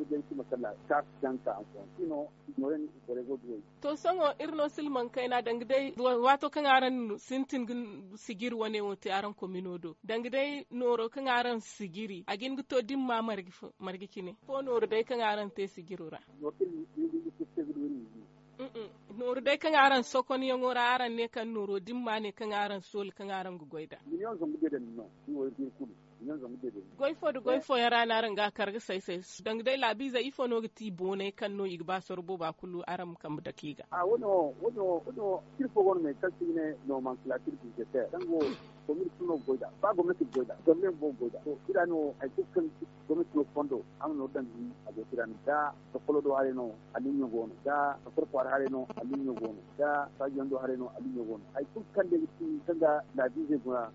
ga jay si ma kalla ka si daŋ ka hankoyaŋ si no. Noorey borey go duwey. To sohõ iri no silmaŋ kayna danga day waato kaŋ araŋ sintin ga sijiri wane wo te araŋ komino do danga day nooro kaŋ araŋ sijiri a ga hin ga to dimma marga cine fo nooru day kaŋ araŋ te sijiro ra. Nooru day kaŋ araŋ sokonyaŋo ra araŋ ne kaŋ nooro dimma ne kaŋ araŋ sooli kaŋ araŋ ga goy nd'a. Goy fo nda goy fooyaŋ ra no araŋ ga a kar ga say say danga day laabiizey ifo no ga ti boonay kaŋ no i ga ba soro booba kulu araŋ ma kambe dake i ga. Iri fo go no me kaŋ se i ga ne noomansilatir bizeter kaŋ go komin kulu no ga goy nd'a ba gomnati ga goy nd'a gomnati bumbo ga goy nd'a to iri ra no hari kulu kaŋ gomnati no fondo a ma nooru daŋ ga hin a go ti ra no da sokolo do haray no. Aliɲɲo go no da sokolo kwaara haray no aliɲɲo go no da saajiyaŋ do haray no aliɲɲo go no hari kulu kaŋ day ga ti kaŋ ga laabiizey guna.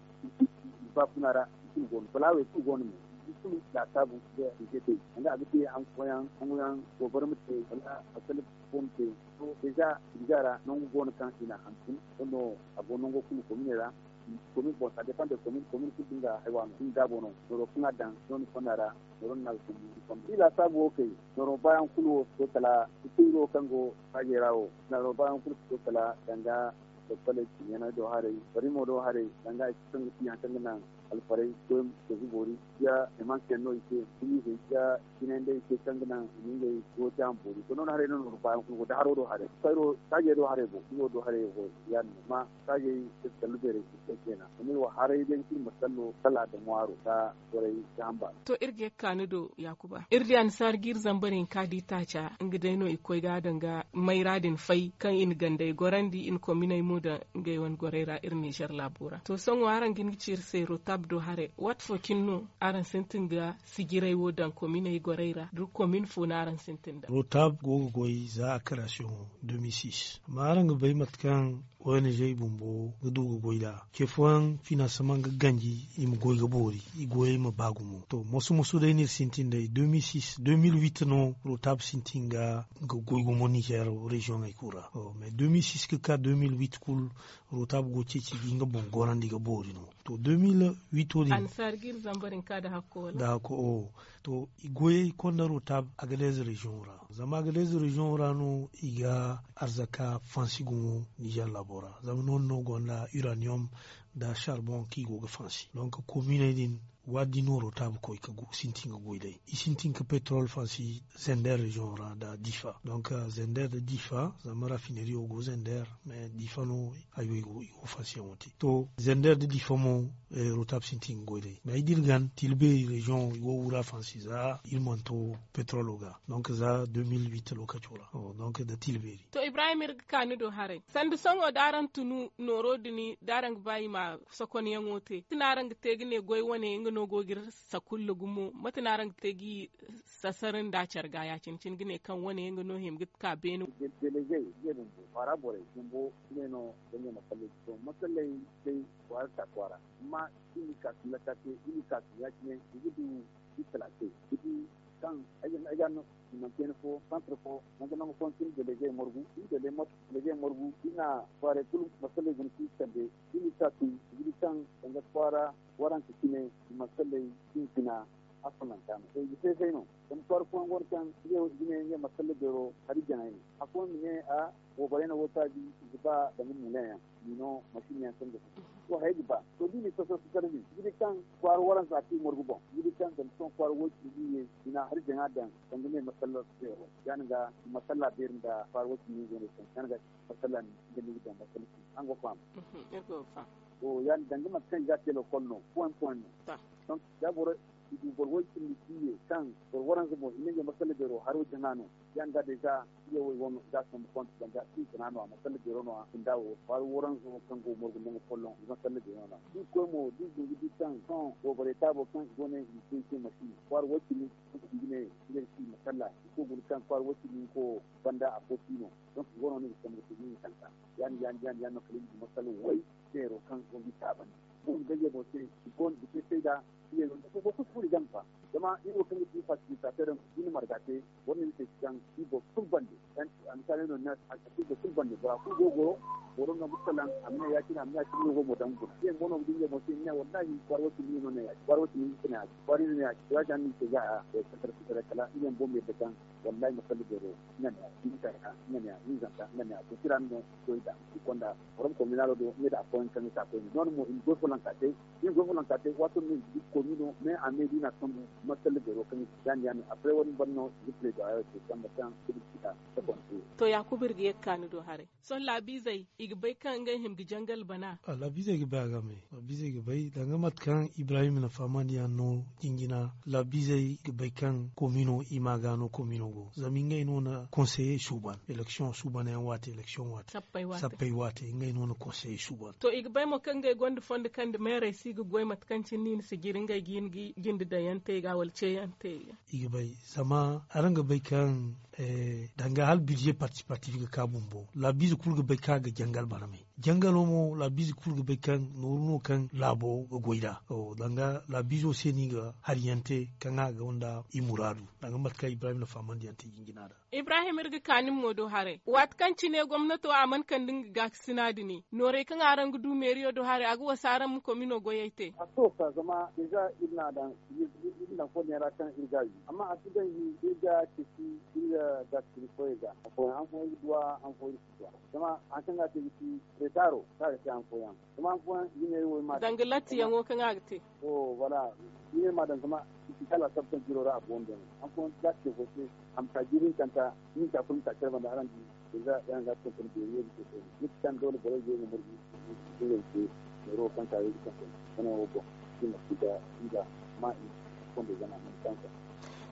Baafuna ra i kulu go no balaawey kulu go no me i kulu laasaabu ga i ga te. Danga a ga te haŋ fooyaŋ haŋoyaŋ goobara ma te wala a salli fo ma te. To deeza i ga ra nangu go no kaŋ i na hantum sohõ a go nango kulu kominey ra. Komin boŋ ça dépend de komin komin kulu da nga haywa no nga gaabo no nooro kaŋ a daŋ nooni fonda ra. Nooro no na ga sambu i fonda i laasaabu wo kay nooro baayaŋ kulu wo si to kala i kulu wo kaŋ go saajey ra wo. Nooro baayaŋ kulu si to kala danga doktorey ciiɲaney do haray barimo do haray danga i si kaŋ ga ti haŋ kaŋ ga naŋ alfarey goy ma si ga boori. Ya imansiyaŋ no i se gumiizey ya jinay nda i se kaŋ ga naŋ i ma ngey gooti a ma boori to nooni haray no nooru baayaŋ kulu go da haro do haray. Saajey do haray boŋ i wo do haray go yaadin no amma saajey iri sallu beerey si te keena zama iri wo haray day iri ma sallo kala a daŋ ŋwaaro ka borey ga hamba. To iri ga ye ga ka ni do yaakuba iri di annasaara ga iri zambar hinka di taaca nga day no i ga koy ga a daŋ ga mayra din fay kaŋ i na gandey gorandi i na kominey mo daŋ ngey wane gorey ra iri nizer laabo ra to sohõ araŋ ga hin ga ci iri se rotab do haray waati fo cine no araŋ sintin ga sijiray wo daŋ kominey gorey ra da komin fo no araŋ sintin daŋ. Rotab go ga goy za a karasiyoŋo de mille six amma araŋ ga bay mate kaŋ O N G bumbo ga du ga goy nd'a. Ce fooyaŋ finansama ga ganji i ma goy ga boori, i goyey ma ba gumo. To, moso moso day no iri sintin day deux mille six deux mille huit no rotab sintin ga goy gumo nizer reziyoŋey kulu ra. Mais deux mille six ga ka deux mille huit kulu rotab go ceeci ga nga boŋ gorandi ga boori no. To deux mille huit wo din ansaari ga iri zambar hinka nda hakko wala? Nda hakko o. To i goyey konda rotab agadez reziyoŋo ra, zama agadez reziyoŋo ra no i ga arzaka fansi gumo nizer laabo ra, zama noodin no gonda uraniyom nda sarboŋ kaŋ i go ga fansi. Donk kominey din waati din no rotab koy ga sintin ga goy day. I sintin ga petrol fansi zender reziyoŋo ra nda difa. Donk zender nda difa, zama rafineriyo go zender, mais difa no hayo i go fansiyaŋo te. To zender nda difa mo rotab sintin ga goy day, mais ay da iri gan tilbeeri reziyoŋo i go ga wura fansi za iri mana to petrolo ga. Donk za deux mille huit lookaco ra. Donk nda tilbeeri. To ibrahim iri ga ka ni do haray, sanda sohõ da araŋ tunu nooro din da araŋ ga ba i ma sokonyaŋo te, mate no araŋ ga te ga ne goy wane nga no go ga iri sakulla gumo? Mate no araŋ ga te ga i sasar nda care ga ya- cine cine ga ne kaŋ wane nga no hima ga ka beene? Delege ze bumbo kwaara borey bumbo i ne no ga ne masalley to masalley day kwaara ta kwaara, amma i ma ka sillaka te i ma ka silla cine i ga du i talakey ga di kaŋ ay ga no i mana kayna fo santre fo nangu nangu fo cine delege morgu i delege morgu i na kwaarey kulu masalley guna kaŋ i sande i ma ka tun i ga di kaŋ danga kwaara waranka cine i masalley sintina a funanta no to i ga se-se no. Zama kwaara fooyaŋ go no kaŋ ngey wo i ga ne ngey masalla beero hari jaŋay no. Afooyaŋ ma ne a booborey no wo taabi i ga ba danga muuleyaŋ, i no masiiniyaŋ kaŋ ga fun to hayey ga ba. To da i na i soso sasar din i ga di kaŋ kwaara waranza kaŋ i morgu boŋ i ga di kaŋ zama sohõ kwaara woy cindi i ye i na hari jaŋa daŋ danga ngey masalla beero. Ya- din ga i masalla beeri nda kwaara woy cindi i go no kaŋ ya- din ga i masalla ni ga ni ga daŋ masalla cindi araŋ go ga faham? To ya- din danga mate kaŋ i ga a te lokol no point point no. Donc da boro i du boro woy cindi i ye kaŋ boro waranza boŋ i ne ngey masalla beero haro jaŋa no. Ya- din ga deeza i ye wo i wane i ga a sambu konte danga i gana no a masalla beero no a funda wo kwaara waranzo kaŋ go morgu nangu folloŋ i masalla beero no a. Da i koy mo da i du ga di kaŋ sohõ booborey taabo kaŋ i go ne i ga te i te masi kwaara woy cindi i ga ne ngey ga ci i masalla i koy guna kaŋ kwaara woy cindi nga ko banda afo si no. Donc i go no no i ga sambu ga te i ma tanta. Ya- din ya- din ya- din ya- din no kala i ma du masalla way beero kaŋ go ga i taabandi. Boro ga ngey boŋ se i go no ga te sayda. Boro kulu furo i game fa zama iri wo kaŋ ga ti facilitateur yaŋ da i na marga te boro no ni se ga caŋ. Iri boro kulu bande a misaali no ni a si iri boro kulu bande bora kulu go ga goro. Boro no ga salaŋ a ma ne ya- cine a ma ne ya- cine no go ga mo daŋ guna iri yaŋ go no ga di ngey boŋ se i ma ne wallahi kwaara wo cindi no ne ya- cine kwaara wo cindi no ne ya- cine kwaara no ne ya- cine ya- cine ni se ga a sakar sakar kala iri yaŋ boro ma yadda kaŋ wallahi masalla beero nga ne ya hinzanta nga ne ya hinzanta nga ne ya to tira no goy da i konda forom kominalo do nga da afooyaŋ kaŋ ga ka koyne noodin mo i ma goy fooyaŋ ka te i ma goy fooyaŋ ka te waato no i ga di komino mais a me da i na sambu masalla beero kaŋ ga ci yaadin yaadin après wani ban no i ga plaidoyer te samba kaŋ i ga ci a sabon te. To yaakuba iri ga ye ga ka ni do haray. Sohõ laabiizey i ga bay kaŋ ngey hima ga jangal bana. Laabiizey ga bay a game. Laabiizey ga bay danga mate kaŋ ibrahim na fahamandi yaŋ no jinjina laabiizey ga bay kaŋ komino i ma ga no komino go zama ngey no na konseye suuban eleksiyoŋ suuban yaŋ waate eleksiyoŋ waate sappey waate ngey no na konseye suuban. To i ga bay mo kaŋ ngey gonda fondo kaŋ nda meerey si ga goy mate kaŋ cine ni na si jiri ngey ga hin ga jinde daŋ yaŋ te i ga wala ce yaŋ te i ga. I ga bay zama araŋ ga bay kaŋ danga hala bidze participatif ga ka bumbo laabiize kulu ga bay kaŋ a ga jangal bana me. Jangalo mo laabiize kulu ga bay kaŋ nooru no kaŋ laabo ga goy nd'a. Danga laabiizo se no i ga hari yaŋ te kaŋ a gonda i muraadu danga mate kaŋ ibrahim na fahamandi yaŋ te jinjina nd'a. Ibrahim iri ga ka ni mo do haray waati kaŋ cine gomnato a mana kande nga gaakasina dini noorey kaŋ araŋ ga du meeriyo do haray a ga wasa araŋ ma komino goyey te. A to ka zama déjà iri na a daŋ iri na fo neera kaŋ iri ga a wi amma a si daŋ iri ga ceeci iri ga gaakasina koyey ga. Afooyaŋ han fooyaŋ iri ga duw'a han fooyaŋ iri si duw'a. Zama hari kaŋ ga a te ga ci retaro kaŋ a ga te han fooyaŋ zama han fooyaŋ iri ne iri wo iri ma a daŋ danga lattiyaŋo kaŋ a ga te. To voilà iri ne iri ma a daŋ zama i si ga laasaabu kaŋ jiro ra a go nda no han fooyaŋ da a te fo se a ma ka jiiri hinkanta ni hinka kulu ma ka care banda araŋ di. Déjà yaŋ ga tonton beeri wo ga te koyne ni si kaŋ doole borey go ga margu. Ngey se neero kaŋ ka yeeji kaŋ koy wane wo boŋ i ma si ga i ga ma i fondo zama a mana kaŋ.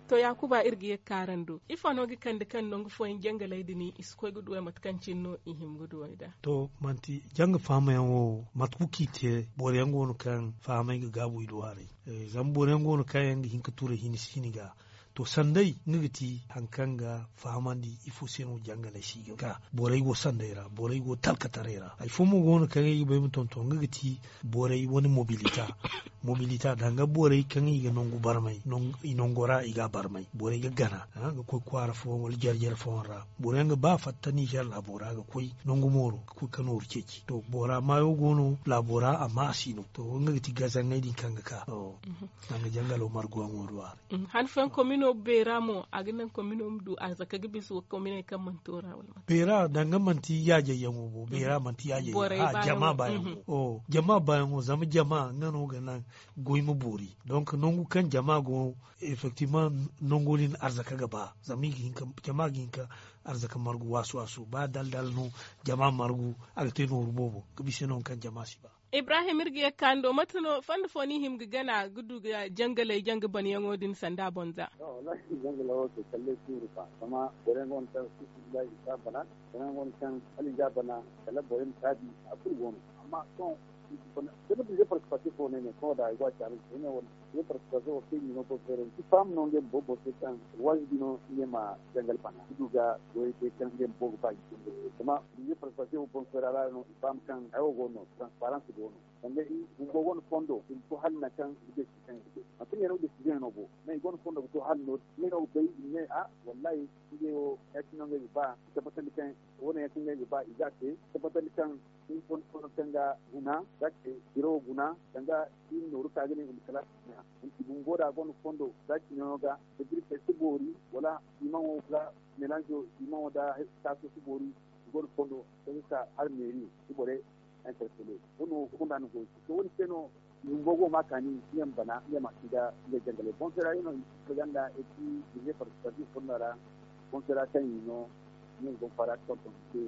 To yaakuba iri ga ye ga ka araŋ do ifo no ga kande kaŋ nangu fooyaŋ jangaley din i si koy ga duwey mate kaŋ cine no i hima ga duwey nd'a? To manti janga fahamyaŋ wo mate kulu kaŋ i te boro yaŋ go no kaŋ fahamey ga gaabu i do haray. Zama boro yaŋ go no kaŋ yaŋ ga hin ga turay hini si hini ga To, sanday nga ga ti hari kaŋ ga fahamandi ifo se no jangaley si ga ka. Borey go sanday ra, borey go talkataray ra. Hari fo mo go no kaŋ ay ga bay ma tonton, nga ga ti borey wane mobilita. Mobilita danga borey kaŋ i ga nangu barmay, i nango ra i ga a barmay, borey ga gana ga koy kwaara fooyaŋ wala jare-jare fooyaŋ ra. Boro yaŋ ga ba fatta nizer laabo ra ga koy nangu mooro ga koy ga nooru ceeci. To, bora maayo go no laabo ra amma a si no. To, nga ga ti gazaŋey din kaŋ ga ka. Danga jangalo marguwaŋo do a ra. Han fooyaŋ komino beera mo a ga naŋ komino ma du arzaka ga bisa kominey kaŋ mana to ra wala? Beera danga manti yaajayyaŋo bo beera manti yaajayyaŋo jama baayaŋo. Jama baayaŋo zama jama nga no ga naŋ goy ma boori. Donk nangu kaŋ jama go, effektivement nango din arzaka ga ba zama jama ga hin ka arzaka margu waasu waasu ba dala dala no. Jama margu a ga te nooru boobo ga bisa nangu kaŋ jama si ba. Ibrahim iri ga ye ga kaani do mate no fondo fo no i hima ga gana ga du ga jangaley janga banyaŋo din sanda boŋ za? Wallahi jangalo wo to kalley suuru fa zama boro yaŋ go no kaŋ sisibila i si a bana. Boro yaŋ go no kaŋ hala i ga a bana kala boro yaŋ ma taabi a kulu go no. Amma sohõ da ni bize participation fo no ay ne sohõ da ay go a caala se ay ne wala bize participation wo kaŋ i no boro feerandi i faham no ngey ma boro boro se kaŋ waajibi no ngey ma jangal bana ga du ga goyey te kaŋ ngey ma boro ga ba i cindi zama bize participation wo boro feera ra no i faham kaŋ hayo go no transparence go no. Sanda i bumbo gonda fondo i ma to hala nangu kaŋ i ga gay si kaŋ i ga gay manti ngey no ga gay si gay no bo. Mais i gonda fondo ga to hala no din ngey no ga bay i ma ne a wallahi ngey wo ya- cine no ngey ga ba i tabbatandi kaŋ wo- ne ya- cine ngey ga ba i ga a te i tabbatandi kaŋ i fondo fondo kaŋ ga guna ga ce biro wo guna danga i ma nooru ka ga ne i ma kala i bumbo da gonda fondo za cine no ga da birkey si boori wala simaŋo ga melanzo simaŋo da taaso si boori. I gonda fondo kaŋ ga ka hala meeri i borey interpellé wo- ne wo kulu ra ni goy to wo- ne se no i bumbo go ma kaani i yaŋ bana i yaŋ ma sinda ngey jangaley boŋ feera yaŋ no i ma si farganda et puis i ma ye participation fonda ra boŋ feera kaŋ i no i yaŋ boŋ fara tonton se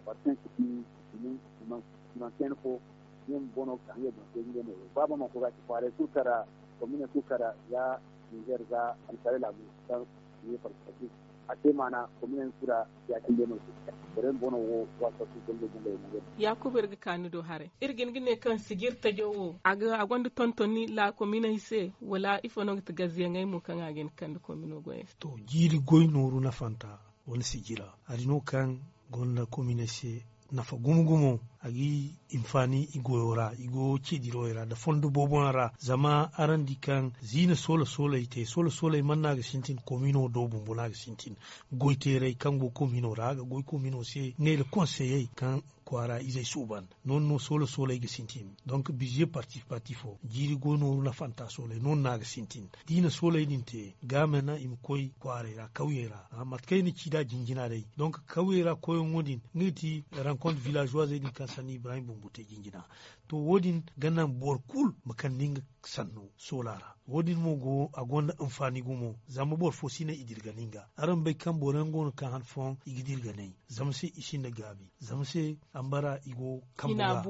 waati kaŋ i si di i ma i ma kayna fo i yaŋ boŋ no ga ka ngey boŋ se ngey no ba ba ma koy ga ci kwaaray kulu kara komine kulu kara za nizer za alkaalay laabu kaŋ i ye participation a te maana komine yaŋ kulu ra ya- cine day no se borey ma boŋ no wo waasa kulu gondo bumbo yaŋ no. Yaakuba iri ga ka ni do haray iri ga hin ga ne kaŋ sijir tajo wo a gonda tontoni laakominey se wala ifo no ga ti gaziyaŋey mo kaŋ a ga hin ga kande komino goyey se? To jiiri goy nooru nafanta wane sijira hari no kaŋ gonda kominey se nafa gumo gumo a ga i hinfaani i goyo ra i go ce dirowey ra nda fondo boobo yaŋ ra zama araŋ di kaŋ ziina soola sooley te soola sooley mana no a ga sintin komino do bumbo no a ga sintin. Goy teerey kaŋ go komino ra a ga goy komino se ngey nda konseyey kaŋ kwaara izey suuban. Noodin no soola sooley ga sintin donk bize participatifo jiiri goy nooru nafanta sooley noodin no a ga sintin. Da i na sooley din te ga mana i ma koy kwaaray ra kawyey ra mate kaŋ i na ci nd'a jinjina day donk kawyey ra koyyaŋo din nga ga ti rankont villageoisey din kaŋ sanni ibrahim bumbo te jinjina. To wo- din ga naŋ boro kulu ma kande nga sanno soola ra wo- din mo go a gonda hinfaani gumo zama boro fo si ne i dirgani nga araŋ bay kaŋ boro yaŋ go no kaŋ han fooyaŋ i ga dirganay zama se i sinda gaabi zama se ambara i go kambo ga.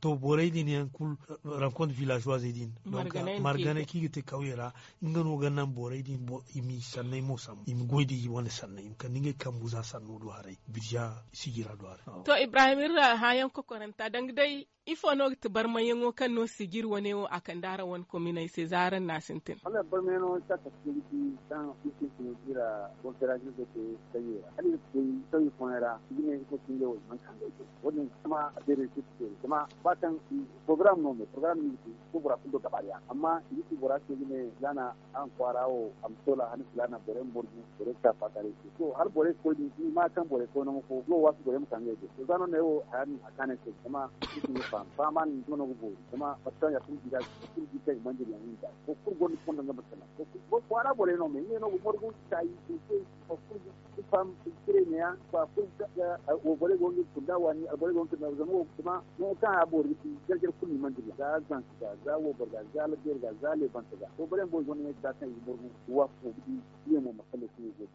To borey din yaŋ kulu rankont villageoisey din marganay kaŋ i ga te kawye ra nga no ga naŋ borey din i ma i sanney mo sambu i ma goy da i wane sanney i ma kande ngey kambu za sanno do haray birza sijira do haray. To ibrahim iri ra hããyaŋ kokoranta danga day ifo no ga ti barmayyaŋo kaŋ no sijir wane wo a kande araŋ wane kominey se za araŋ na a sintin? Wala barmayyaŋo kaŋ a kate ga ti kaŋ i sintin iri ra konferansi ga te kayye ra hala iri ga koy kayye fooyaŋ ra i ga ne ifo cingey wo i mana ka ngey te wo- din zama a beerey se ga te zama ba kaŋ porogaram no me porogaram no i ga te ga koy bora kulu do gabaariya amma i ga ci bora se ga ne zaana araŋ kwaara wo a ma soola hani filaana borey ma borgu borey ga ka faakaaray se to hala borey ga koy din i ma kaŋ borey koy nangu fo no waasu borey ma ka ngey do to za no ne wo haya din a kaanay se zama i si ni faham fahama din duma no ga boori zama mate kaŋ ya kulu di ga kulu di kaŋ i mana dira yaŋ i ga boro kulu gonda fondo nga ma salaŋ boro kwaara borey no me ngey no ga morgu kaayi i se boro kulu ga faham i cire neeya boro kulu ga wo borey go nga kunda waani alborey go nga kunda zama wo zama nangu kaŋ a boori ga ti jare jare kulu ni mana dira za zanka ga za woboro ga za labeeri ga za leebanta ga to borey boro gonda ngey ga za kaŋ i ga morgu ga waasu fo ga di.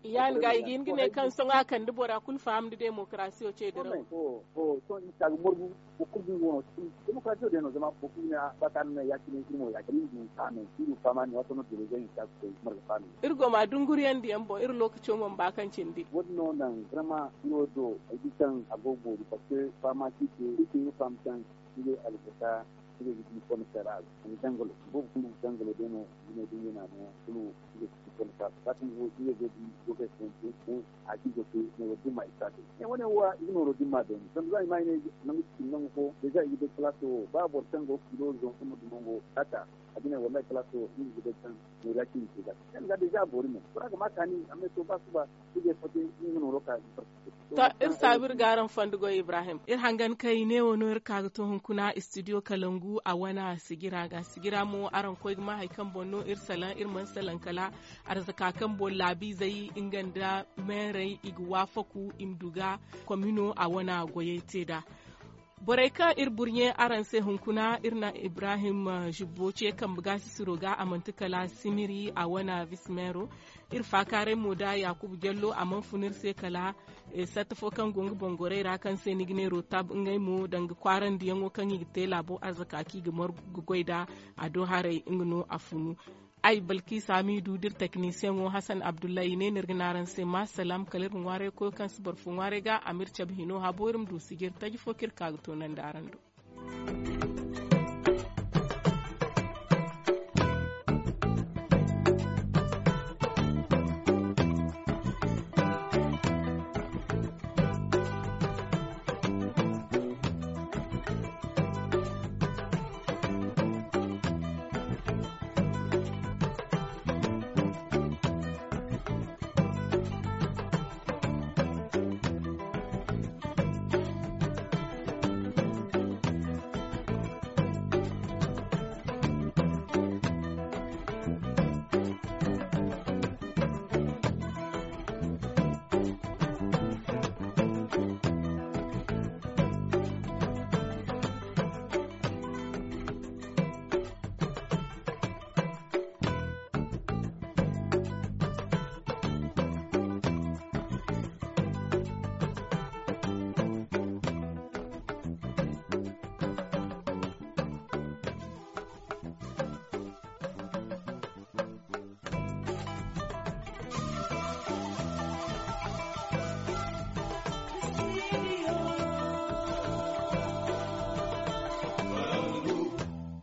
Yaŋ ga i ga hin ga ne kaŋ sohõ a kande bora kulu faham da demokarasiyo ce dirawo. Sohõ i ga ka ga morgu boro kulu ga nga wano. Demokarasiyo day no zama boro kulu ga ne a ba kaŋ a na ne ya- cine iri mo ya- cine iri du faham yaŋ iri du faham yaŋ ne waato no dira zay hinka ga koy marga faham yaŋ. Iri go ma dunguriyaŋ diyaŋ boŋ iri lookaco mana ba kaŋ cindi wo- din no naŋ vraiment iri wo do ay di kaŋ a go ga boori parce que fahama si te iri te iri faham kaŋ iri alfata. Iri ga di fondo kay ra a ga dangalo boobo kulu dangalo day no. Iri ne da iri na no kulu iri ga di fondo kay ra saatin go iri ga di gogay fooyaŋ te. A ga iri goy te ne wo dimma iri si a te ne wo ne wo iri ga nooro dimma day no zama za i ma i ne nangu cindi nangu fo deeza i ga day kalaaso wo ba boro kaŋ go ga kilo zongu no dumango kata a ga ne wallahi kalaaso wo iri ga day kaŋ noori ya cindi te ga. Yaŋ ga deeza a boori mo bora ga ma kaani amma to ba suba. To iri saabu iri ga araŋ fondo goy ibrahim iri hangan kay neewo no iri ka ga to hunkuna studio kalangu a wane sigira ga sigira mo araŋ koy ga ma hari kaŋ boŋ no iri salaŋ iri mana salaŋ kala arzaka kaŋ boŋ laabiizey nga nda meerey i ga waafaku i ma du ga komino a wane goyey te nd'a. Borey kaŋ iri burɲe araŋ se hunkuna iri na ibrahim zubbo ce kambe gaasisiro ga a manti kala simiri a wane bismeero. Iri faakaaray mo da yaakuba jallo a mana fun iri se kala satta fo kaŋ go nga boŋ gorey ra kaŋ se ni ga ne rotab ngey mo danga kwaarandiyaŋo kaŋ i ga te laabo arzaka kaŋ i ga margu ga goy nd'a. A do haray nga no a funu. Ay balkisa miidu da iri teknisiyaŋo hasan abdullahi i ne no iri ga ne araŋ se ma salaam kala iri ma ŋwaaray koyo kaŋ si boro fo ŋwaaray ga a ma iri cabe hino habo iri ma du sijiri taji fo kaŋ iri ka ga toonandi araŋ do.